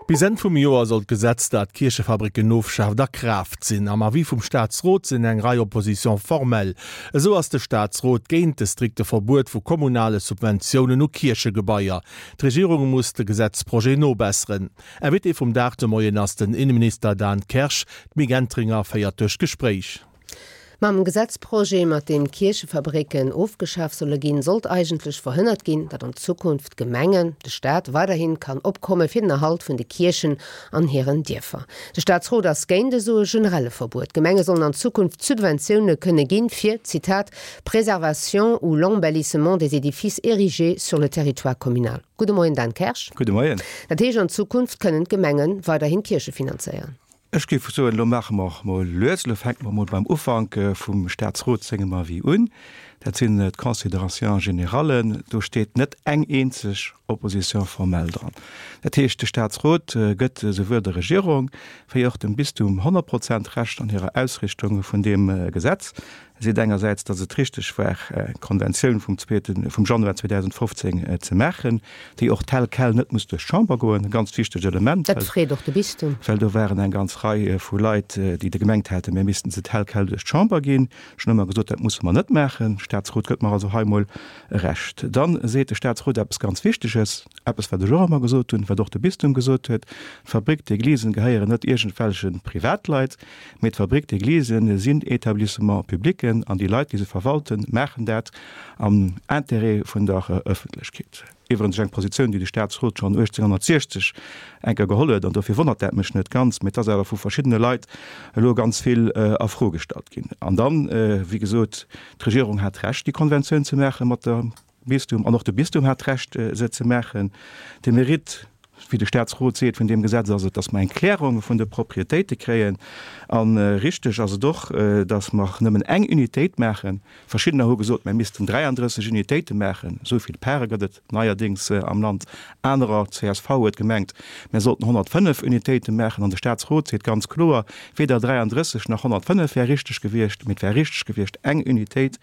Bis Enn vum Joer soll d'Gesetz, dat d'Kierchefabricken ofschaaft, a Kraaft sinn. Am Avis vum Staatsrot sinn eng Rei Oppositions formelles. Esou ass de Staatsrot géint de strikte Verbuet vu kommunale Subventiounen u Kierchegebaier. D'Regierung muss de Gesetzprojet nobesseren. Invité vum Dag de Moien ass den Inneminister Dan Kersch. D'Mick Entringer féiert duerch d'Gespréich. Mam Gesetzprojet, mat deem d'Kierchefabricken ofgeschaf solle ginn, sollt eigentlech verhënnert ginn, datt an Zukunft d'Gemengen, de Staat, weiderhi kann opkomme fir den Erhalt vun de Kierchen an hiren Dierfer. De Staatsrot ass géint esou e generelle Verbuet. D'Gemenge sollen an Zukunft Subventioune kënne ginn, fir, Zitat, préservation ou l'embellissement des édifices érigés sur le territoire communal. Gudde Moien Dan Kersch. Gudde Moien. Dat heescht, an Zukunft kënnen d'Gemenge weiderhin Kierche finanzéieren? Ech géif soen, elo maache mer mol lues, elo fänke mer mol beim Ufank vum Statsrot sengem Avis un. Dat sinn d'Considérations générales. Do steet net eng eenzeg Opposition formelle dran. Dat heescht, de Statsrot gëtt esouwuel der Regierung wéi och dem Bistum 100 Prozent Recht an hirer Ausrichtung vun deem Gesetz. E seet engersäits, datt et richteg war, eng Konventioun vum zweeten, vum Januar 2015 ze maachen, déi och tel quel net muss duerch d'Chamber goen, e ganz wichtegt Element, Dat freet och de Bistum. well do waren eng ganz Rei vu Leit, déi de gemengt haten, mir missten se tel quel duerch d'Chamber ginn. Ech hunn ëmmer gesot, dat musse mer net maachen. De Statsrot gëtt mer also hei mol Recht. Dann seet de Statsrot eppes ganz Wichteges, eppes wat ech och ëmmer gesot hunn, wat och de Bistum gesot huet, D'Fabrique d'églisen gehéieren net iergendwelche Privatleit, Mee d'Fabrique d'églisen sinn Etablissements publics an déi Leit, déi se verwalten, maachen dat am Intérêt vun der Ëffentlechkeet. Iwwerens eng Positioun, déi de Staatsrot schonn 1860 eng Kéier geholl huet, an dofir wonnert dat mech net ganz, mee et ass awer vu verschiddene Leit elo ganz vill a Fro gestallt ginn. An dann, wéi gesot, d'Regierung hat Recht, déi Konventioun ze maache mat der Bistum, an och de Bistum hat d'Recht, se ze maachen. De Mérite, wéi de Statsrot seet, vun deem Gesetz ass et, dass mer eng Klärung vun de Propriétéite kréien. A richteg ass et och, dass mer nëmmen eng Unitéit maachen. Verschiddener hu gesot, mer missten 33 Unitéite maachen, esou vill Pare gëtt et neierdéngs am Land. Anerer, csv, huet gemengt, mer sollten 105 Unitéite maachen. An de Statsrot seet ganz kloer, weder 33 nach 105 wär richteg gewiescht, mee et wär richteg gewiescht, eng Unitéit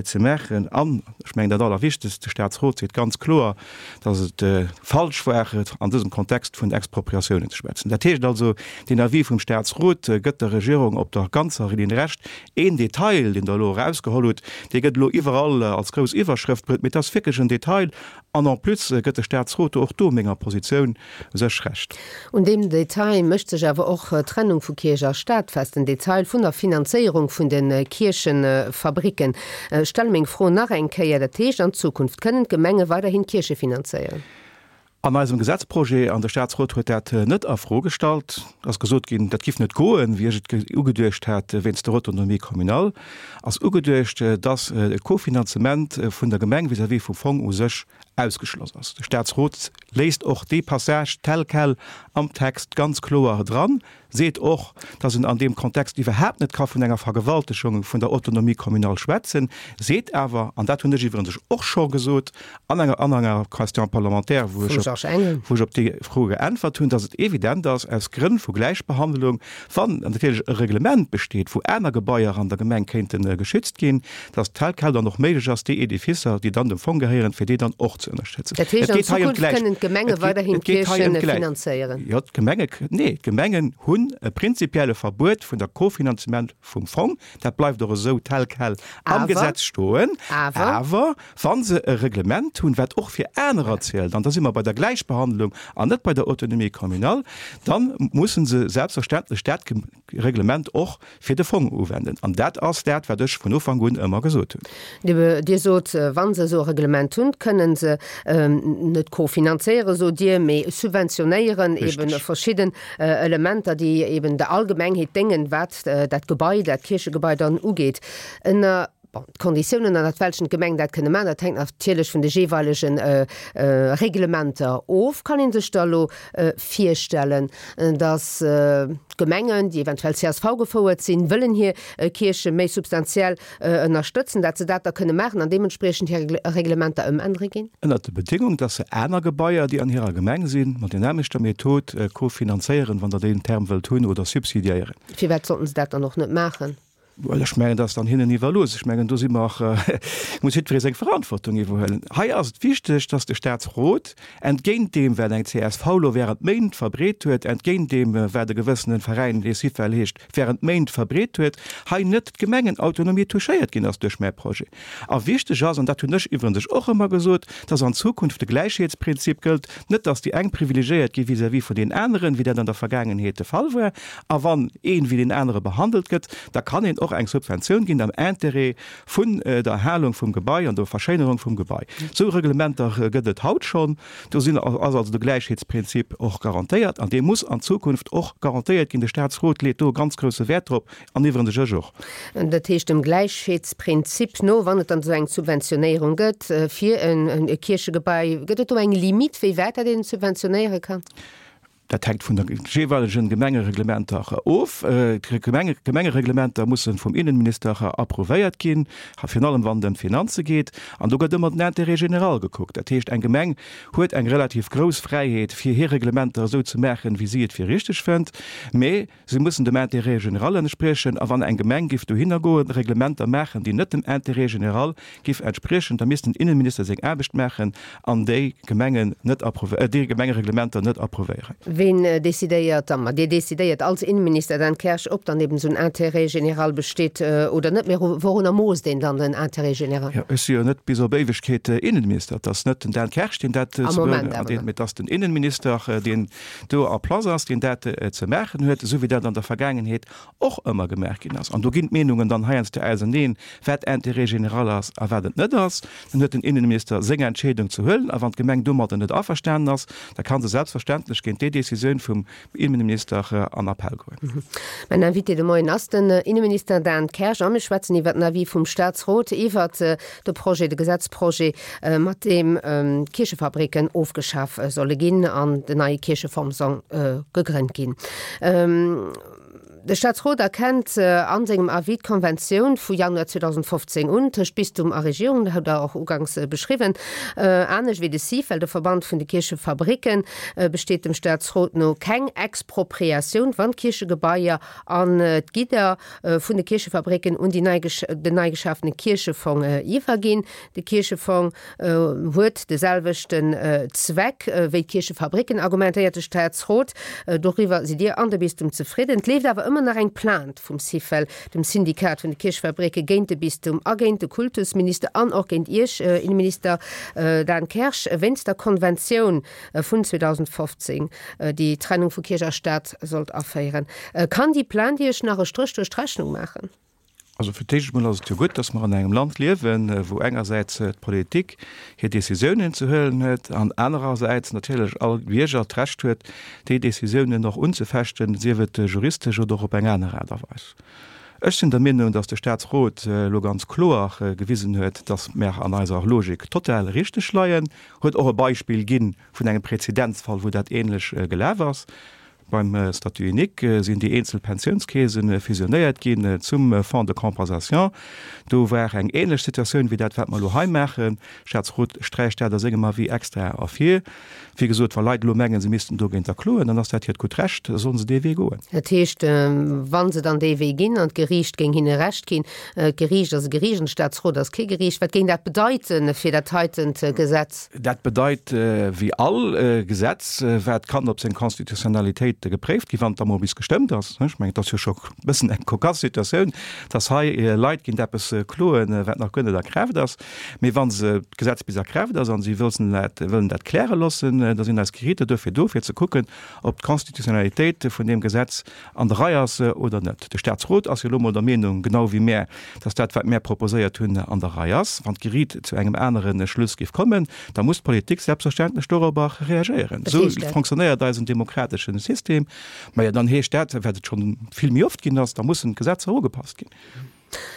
ze maachen. An, ech mengen dat Allerwichtegst, de Statsrot seet ganz kloer, dass et falsch war, an dësem Kontext vun Expropriatiounen ze schwätzen. Dat heescht also, deen Avis vum Statsrot gëtt der Regierung op der ganzer Linn Recht. Een Detail, deen Der elo erausgeholl hutt, dee gëtt elo iwwerall als grouss Iwwerschrëft bruet, mee et ass wierklech en Detail. An en plus gëtt de Statsrot do och do menger Positioun u sech Recht. Un deem Detail mécht sech awer och d'Trennung vu Kierch a Staat fest, den Detail vun der Finanzéierung vun de Kierchefabricken. Ech stelle meng Fro nach eng Kéier, Dat heescht, an Zukunft kënnen d'Gemenge weiderhin d'Kierche finanzéieren? An eisem Gesetzprojet, an de Statsrot huet dat net a Fro gestallt, ass gesot ginn, dat giff net goen, wéi ech et ugeduecht hat, wéinst der Autonomie communale, ass ugeduecht, dass e Kofinanzement vun der Gemeng vis-à-vis vum Fong u sech ausgeschloss ass. De Statsrot léisst och dee Passage tel quel am Text ganz kloer dran, seet och, dass en an deem Kontext iwwerhaapt net ka vun enger Vergewaltegung vun der Autonomie communale schwätzen, seet awer, an dat hunn ech iwwerens och scho gesot an enger an enger Question parlementaire, wou ech op, wou ech op déi Fro geäntwert hunn, dass et evident ass, aus Grënn vu Gläichbehandlung, wann natierlech e Reglement besteet, wou aner Gebaier an der Gemeng kéinte geschützt ginn, dass tel quel dann och méiglech ass, déi Edificer, déi dann dem Fong gehéieren, fir déi dann och ze ënnerstëtzen. Dat heescht, an Zukunft kënnen d'Gemenge weiderhin d'Kierche finanzéieren? Jo, d'Gemenge, nee, d'Gemengen hunn e prinzipielle Verbuet vun der Kofinanzement vum Fong. Dat bleift och esou tel quel am Gesetz stoen. Awer wa se e Reglement hunn, wat och fir anerer zielt, an da si mer bei der Gläichbehandlung an net bei der Autonomie communale, da musse se selbstverständlech dat Reglement och fir de Fong uwenden. An dat ass dat, wat ech vun Ufank un ëmmer gesot hunn. Dir sot, wa se esou e Reglement hunn, kënnen se net kofinanzéieren, sot Dir, mee subventionéieren eben verschidden Elementer, déi eben der Allgemengheet déngen, wat dat Gebai, dat Kierchegebai dann ugeet. Ënner, bon, d'Konditiounen, ënnert welchen d'Gemeng dat kënne maachen, dat hänkt natierlech vun de jeeweilege Reglementer of. Kann ee sech da elo virstellen, datt d'Gemengen, déi eventuell csv gefouert sinn, wëllen hir Kierche méi substantiell ënnerstëtzen, datt se dat da kënne maachen an deementspriechend hir Reglementer ëmännere ginn? Ënnert der Bedéngung, datt se aner Gebaier, déi an hirer Gemeng sinn, mat der nämmlechter Method kofinanzéieren, wann Der deen Term wëllt hunn, oder subsidiéieren. Firwat sollten se dat dann och net maachen? Well ech mengen, dat ass dann hinnen iwwerlooss. Ech mengen, do si mer, muss jiddweree seng Verantwortung iwwerhuelen. Hei ass et wichteg, dass de Statsrot, entgéint deem, wat eng csv elo während Méint verbreet huet, entgéint deem, wat e gewëssene Veräin, dee Syfel heescht, während Méint verbreet huet, hei net d'Gemengenautonomie touchéiert ginn ass duerch mäi Projet. A wichteg ass, an dat hunn ech iwwerens och ëmmer gesot, dass an Zukunft de Gläichheetsprinzip gëllt, net dass déi eng privilegiéiert gi vis-à-vis vun deenen aneren, wéi dat an der Vergaangenheet de Fall war. A wann een wéi deen anere behandelt gëtt, da kann een och eng Subventioun ginn am Intérêt vun der Erhalung vum Gebai an der Verschéinerung vum Gebai. Esou Reglementer gëtt et haut schonn. Do sinn, ass also de Gläichheetsprinzip och garantéiert an dee muss an Zukunft och garantéiert ginn. De Statsrot leet do e ganz grousse Wäert drop an iwwerens ech och. Dat heescht, dem Gläichheetsprinzip no, wann et dann esou eng Subventionéierung gëtt fir e Kierchegebai, gëtt et do eng Limite, wéi wäit dat een subventionéiere kann? Dat hänkt vun de jeeweilegen Gemengereglementer of. D'Gemengereglementer musse vum Innenminister approuvéiert ginn, virun allem wann et ëm d'Finanze geet. An do gëtt ëmmer den Intérêt général gekuckt. Dat heescht, eng Gemeng huet eng relativ grouss Fräiheet, fir hir Reglementer esou ze maachen, wéi si et fir richteg fënnt. Mee se mussen dem Intérêt général entspriechen. A wann eng Gemeng géif dohinner goen, Reglementer maachen, déi net dem Intérêt général géif entspriechen, da misst den Innenminister seng Aarbecht maachen an déi Gemengen net déi Gemengereglementer net approuvéieren. Ween decidéiert dann? Ma Dir decidéiert als Innenminister, Dan Kersch, ob dann eben esou en Intérêt général besteet oder net. Mä wourunner moosst een dann den Intérêt général? Jo, ech si jo net bis op Éiwegkeet Innenminister. Et ass net den Dan Kersch, deen dat ze beurteelen, mä et ass den Innenminister, deen do en place ass, deen dat ze maachen huet, esou wéi dat an der Vergaangenheet och ëmmer gemaach ginn ass, an do ginn d'Meenungen dann heiansdo auseneen, wat Intérêt général ass a wat et net ass, dann huet den Innenminister seng Entscheedung ze huelen. A wann d'Gemeng domadder net averstanen ass, da ka se selbstverständlech géint déi Décisioun vum Innenminister an Appell goen. Mäin Invité de Moien ass den Innenminister Dan Kersch a mir schwätzen iwwert den Avis vum Statsrot iwwert de Projet, de Gesetzprojet, mat deem d'Kierchefabricken ofgeschaf solle ginn an den neie Kierchefong soll gegrënnt ginn. De Staatsrot erkennt a sengem Avis d'Konventioun vu Januar 2015 un tëscht Bistum a Regierung, dat hutt Der och uganks beschriwwen. Anescht wéi de Syfel, de Verband vun de Kierchefabricken, besteet dem Staatsrot no keng Expropriatioun, wann d'Kierchegebaier an d'Gidder vun de Kierchefabricken un déi nei den nei geschafene Kierchefong iwwerginn. De Kierchefong huet de selwechten Zweck wéi d'Kierchefabricken, argumentéiert de Staatsrot. Doriwwer sidd Dir an de Bistum zefridden. Et leeft awer ëmmer nach eng Plainte vum Syfel, dem Syndikat vun de Kierchefabricke, géint de Bistum a géint de Kultusminister an och géint Iech, Inneminister Dan Kersch, wéinst der Konventioun vun 2015, déi d'Trennung vu Kierch a Staat sollt aféieren. Kann déi Plainte Iech nach e Stréch duerch d'Rechnung maachen? Also fir d'éischt emol ass et jo gutt, datt mer an engem Land liewen, wou engersäits d'Politik hir Décisiounen ze huelen huet an anerersäits natierlech all Bierger d'Recht huet, déi Décisiounen och unzefechten, sief et juristesch oder och op eng aner Aart a Weis. Ech sinn der Meenung, datt de Statsrot elo ganz kloer gewisen huet, datt mer an eiser Logik total richteg leien, huet och e Beispill gi vun engem Präzedenzfall, wou dat ähnlech gelaf ass. Beim Statut unique sinn déi eenzel Pensiounskeese fusionéiert ginn zum Fonds de compensation. Do war eng ähnlech Situatioun wéi dat, wat mer elo hei maachen. Staatsrot sträicht dat a sengem Avis extra ervir. Wéi gesot, wa Leit elo mengen, se missten dogéinter kloen, dann ass dat hiert gutt Recht, da sollen se dee Wee goen. Dat heescht, wa se dann dee Wee ginn an d'Geriicht géing hinne Recht ginn, d'Geriicht ass e Geriicht an de Staatsrot ass kee Geriicht, wat géing dat bedeite fir dat heitent Gesetz? Dat bedeit, wéi all Gesetz, wat kann op seng Constitutionnalitéit gepréift ginn, wann et da mol bis gestëmmt ass. Ech mengen, et ass jo scho e bëssen eng cocasse Situatioun, dass hei Leit géint eppes kloen, wat nach guer net a Kraaft ass. Mee wa se d'Gesetz bis a Kraaft ass a si wëllen dat, wëllen dat kläre loossen, da sinn eis Gerichter duerfir do, fir ze kucken, ob d'Constitutionnalitéit vun deem Gesetz an der Rei ass oder net. De Statsrot ass jo elo mol der Meenung, genau wéi mär, dass dat, wat mär proposéiert hunn, an der Rei ass. Wann d'Geriit zu engem anere Schluss géif kommen, da muss d'Politik selbstverständlech dorobber reagéieren. Esou fonctionnéiert eisen demokratesche System. Majo, dann heescht dat, wat et scho vill méi oft ginn ass, da mussen d'Gesetzer ugepasst ginn.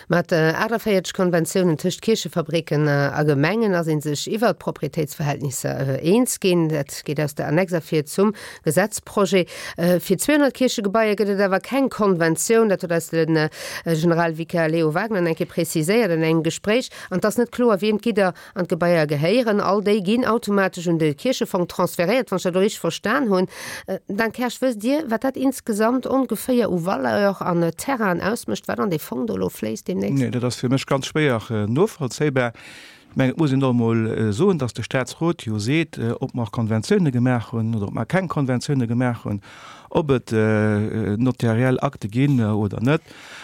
Mat 48 Konventiounen tëscht Kierchefabricken a Gemengen ass ee sech iwwer d'Proprietéitsverhältnisser eens ginn. Dat geet aus der Annex ervir zum Gesetzprojet. Fir 200 Kierchegebaier gëtt et awer keng Konventioun. Dat huet eis de Generalvikar Leo Wagner eng Kéier preziséiert an engem Gespréich. An et ass net kloer, wiem d'Gidder an d'Gebaier gehéieren. All déi ginn automatesch un de Kierchefong transferéiert, wann ech dat elo richteg verstan hunn. Dan Kersch, wësst Dir, wat dat insgesamt ongeféier u Valeur an Terrainen ausmécht, wat an dee Fong do elo fléisst deemnächst? Nee, dat ass fir mech ganz schwéier novollzéibar. Ech mengen, et muss een och emol soen, datt de Statsrot jo seet, ob mer Konventioune gemaach hunn oder ob mer keng Konventioune gemaach hunn, ob et notariell Akte ginn oder net,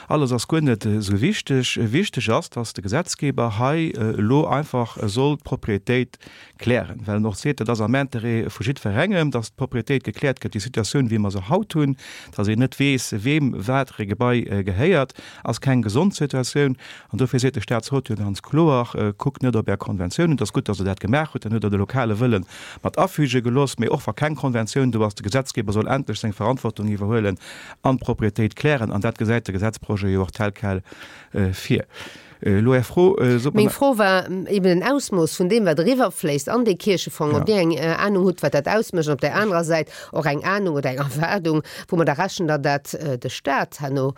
alles ass guer net esou wichteg. Wichteg ass, datt de Gesetzgeber hei elo einfach soll d'Propriétéit klären, well en och seet, dat ass am Intérêt vu jiddwerengem, datt d'Propriétéit gekläert gëtt. Déi Situatioun, wéi mer se haut hunn, datt een net weess, weem wat e Gebai gehéiert, ass keng gesond Situatioun. An dofir seet de Statsrot jo ganz kloer, Kuckt net op Är Konventiounen, et ass gutt, datt Der dat gemaach hutt, dann hutt Der de lokale Wëlle mat afüge gelooss, mee och wa keng Konventioun do ass, de Gesetzgeber soll endlech seng Verantwortung iwwerhuelen an d'Propriétéit klären. An dat gesäit de Gesetzprojet jo och tel quel vir. Elo Är Fro, sot mer. Meng Fro war eben den Ausmooss vun deem, wat eriwwerfléisst an dee Kierchefong, ob Dir eng Anung hutt, wat dat ausmécht, an op där anerer Säit och eng Anung oder eng Erwaardung, woumadder rechent Der, dat de Stat herno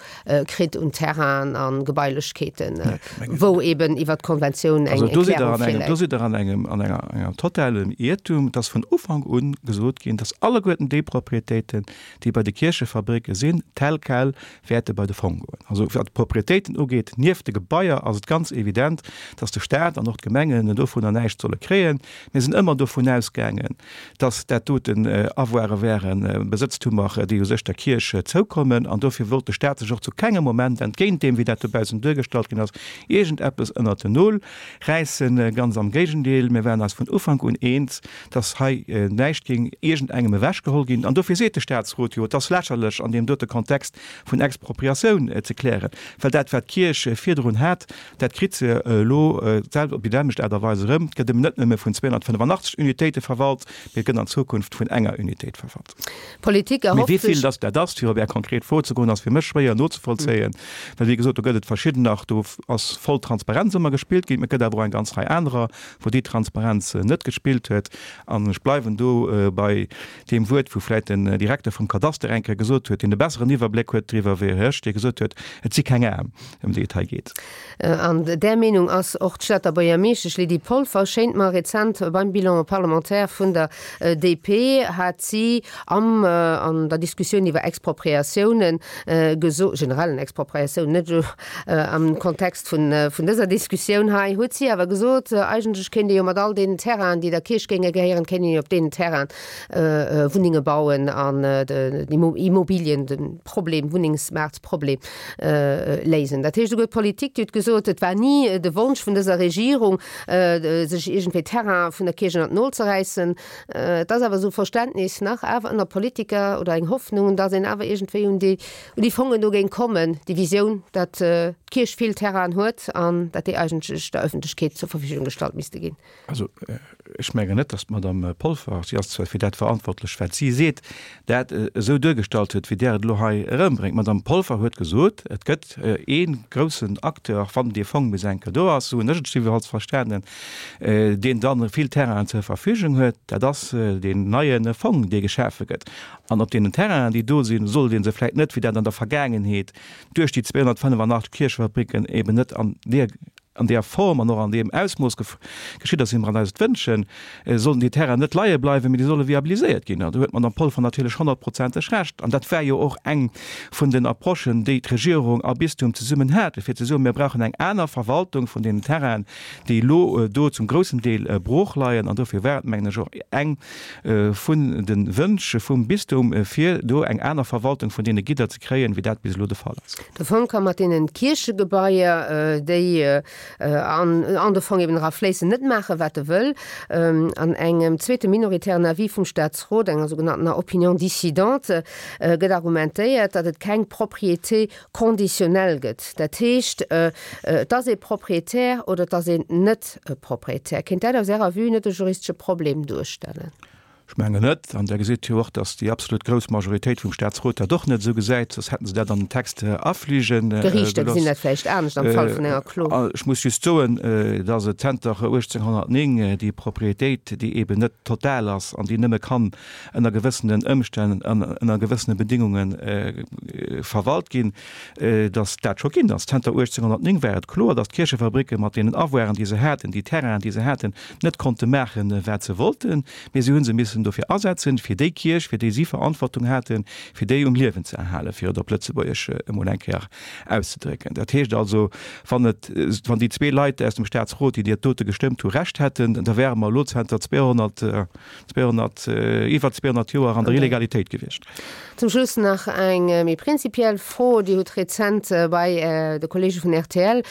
kritt un Terrainen a Gebailechkeeten, wou eben iwwert d'Konventioun eng Erklärung virläit. Do sidd Der an engem, an enger, engem totalen Iertum. Et ass vun Ufank u gesot ginn, dass alleguerten déi Propriétéiten, déi bei de Kierchefabricke sinn, tel quel wäerte bei de Fong goen. Also wat d'Propriétéiten ugeet, nieft de Gebaier, ass et ganz evident, dass de Stat an och d'Gemengen dovunner näischt solle kréien. Mir sinn ëmmer dovun ausgaangen, dass dat doten Avoire wären, Besëtztumer, déi u sech der Kierch zoukommen. An dofir wollt de Stat sech och zu kengem Moment, entgéint deem, wéi dat dobaussen duergestallt ginn ass, iergendeppes ënnert den Nol räissen. Ganz am Géigendeel, mir waren eis vun Ufank un eens, dass hei näischt géing iergendengem ewechgeholl ginn. An dofir seet de Statsrot jo, et ass lächerlech an deem dote Kontext vun Expropriatioun ze klären, well dat, wat d'Kierch virdrun hat, dat kritt se elo op déi selwecht Aart a Weis erëm. Et gëtt eben net nëmme vun 285 Unitéite verwalt, mee et gëtt an Zukunft vun enger Unitéit verwalt. D'Politik erhofft sech. Mee wéi vill dass dat ass, fir op Är konkret Fro ze goen, ass fir mech schwéier nozevollzéien, well wéi gesot, do gëtt et verschiddener, do ass voll Transparenz ëmmer gespillt ginn, mee et gëtt awer och eng ganz Rei anerer, wou déi Transparenz net gespillt huet. An ech bleiwen do bei deem Wuert, wou vläicht den Direkter vum Kadaster eng Kéier gesot huet, deen e besseren Iwwerbléck huet driwwer wéi ech, dee gesot huet, et si keng Aarm, ëm déi et hei geet. An där Meenung ass och d'Stater Buergermeeschtesch Lydie Polfer, schéint mer. Rezent beim Bilan parlementaire vun der DP hat si am an der Diskussioun iwwer Expropriatiounen geso generellen Expropriatiounen, net elo am Kontext vun vun dëser Diskussioun hei, huet si awer gesot, eigentlech kéint ee jo mat all deenen Terrainen, déi der Kierch géinge gehéieren, kéint een jo op deenen Terrainen Wunnenge bauen an den Immobilien, de Problem, Wunnengsmaartproblem léisen. Dat heescht, esouguer d'Politik, déi huet gesot, et war ni de Wonsch vun dëser Regierung, sech iergendwéi Terrain vun der Kierch ënnert d'Nol ze räissen. Et ass awer esou Verständnis nach awer ënner Politiker oder eng Hoffnung, datt een awer iergendwéi un déi, un déi Fongen do géing kommen, déi Visioun, datt d'Kierch vill Terrainen huet an datt déi eigentlech der Ëffentlechkeet zur Verfügung gestallt misste ginn. Also, ech mengen net, datt d'Madame Polfer, si ass zwar fir dat verantwortlech, wat si seet, dat esou duergestallt huet, wéi Der et elo hei erëmbréngt. D'Madame Polfer huet gesot, et gëtt ee groussen Acteur, wann dee Fong bis eng Kéier do ass, esou hunn ech et jiddwerfalls verstanen, deen dann vill Terrainen zur Verfügung huet, dat ass deen neie Fong, dee geschafe gëtt. An op deenen Terrainen, déi do sinn, sollt ee se vläicht net, wéi dat an der Vergaangenheet duerch déi 285 Kierchefabricken eben net an deer an deer Form an och an deem Ausmooss geschitt ass, wéi mer eis et wënschen, sollen déi Terrainen net leie bleiwen, mee déi solle viabiliséiert ginn. An do huet d'Madame Polfer natierlech honnertprozenteg Recht. An dat war jo och eng vun den Approchen, déi d'Regierung a Bistum zesummen haten, fir ze soen, mir brauchen eng aner Verwaltung vun deenen Terrainen, déi elo do zum groussen Deel brooch leien. An dofir war et, mengen ech, och eng vun de Wënsch vum Bistum, fir do eng aner Verwaltung vun deene Gidder ze kréien, wéi dat bis elo de Fall ass. De Fong ka mat deenen Kierchegebaier, déi an de Fong eben era fléissen, net maachen, wat e wëll. An engem zweete minoritären Avis vum Staatsrot, enger sougenanntener Opinion dissidente, gëtt argumentéiert, datt et keng Propriété conditionnelle gëtt. Dat heescht, et ass ee Propriétaire oder et ass een net Propriétaire. Kéint dat aus Ärer Vue net e juristesche Problem duerstellen? Ech mengen net. An Der gesitt jo och, datt déi absolut grouss Majoritéit vum Statsrot dat och net esou gesäit, soss hätte se dat an den Text afliege gelooss. D'Geriichter gesinn dat vläicht anescht am Fall vun enger Klo. Ech muss just soen, datt et zenter 1809 déi Propriétéit, déi eeben net total ass an déi nëmme kann ënner gewëssenen Ëmstänn an ënner gewëssene Bedingunge verwalt ginn, datt dat scho ginn ass. Zenter 1809 war et kloer, datt d'Kierchefabricke mat deenen Avoiren, déi se haten, déi Terrainen, déi se haten, net konnte maachen, wat se wollten. Mee si hu se missen dofir asetzen, fir déi Kierch, fir déi si Verantwortung haten, fir déi um Liewen ze erhalen, fir et op Lëtzebuergesch emol eng Kéier auszedrécken. Dat heescht also, wann et, wann déi zwee Leit aus dem Statsrot, déi dat dote gestëmmt hu, Recht hätten, da wäre mer elo zanter 200, 200, iwwer 200 Joer an der Illegalitéit gewiescht. Zum Schluss nach eng méi prinzipiell Fro. Dir hutt rezent bei de Kollege vun rtl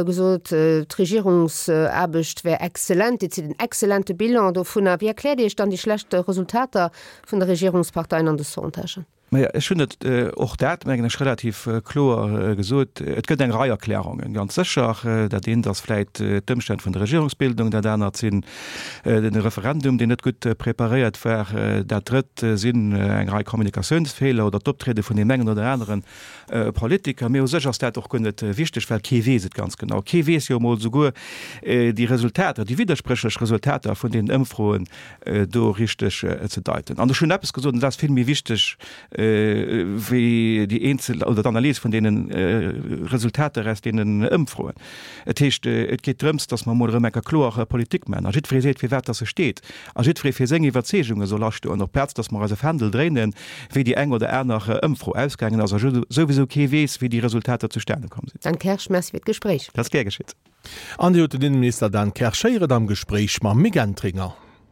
gesot, d'Regierungsaarbecht wär exzellent, Dir zitt en exzellente Bilan dovunner. Wéi erkläert Dir Iech dann déi schlecht Resultater vun de Regierungsparteien an de Sondagen? Maja, ech hunn et och dat, mengen ech, relativ kloer gesot. Et gëtt eng Rei Erklärungen, ganz sécher. Dat eent ass vläit d'Ëmstänn vun der Regierungsbildung, dat anert sinn de Referendum, deen net gutt preparéiert war, dat drëtt sinn eng Rei Kommunikatiounsfeeler oder d'Optriede vun deem engen oder anere Politiker. Mee u sech ass dat och guer net wichteg, well kee weess et ganz genau. Kee weess jo emol souguer déi Resultater, déi widderspréchlech Resultater vun deenen Ëmfroen do richteg ze deiten. An ech hunn eppes gesot, an dat ass vill méi wichteg wéi déi eenzel oder d'Analys vun deene Resultater aus deenen Ëmfroen. Et heescht, et geet drëms, datt mer emol erëm eng Kéier kloer Politik maachen a jiddweree seet, firwat datt e steet a jiddweree fir seng Iwwerzeegunge soll astoen, op Plaz datt mer eis e Fändel dréinen, wéi déi eng oder aner Ëmfro ausgaangen ass a souwisou kee weess, wéi déi Resultater zustane komm sinn. Dan Kersch, Merci fir d'Gespréich. Dat ass gär geschitt. An Dir hutt den Innenminister Dan Kersch héieren am Gespréich mam Mick Entringer.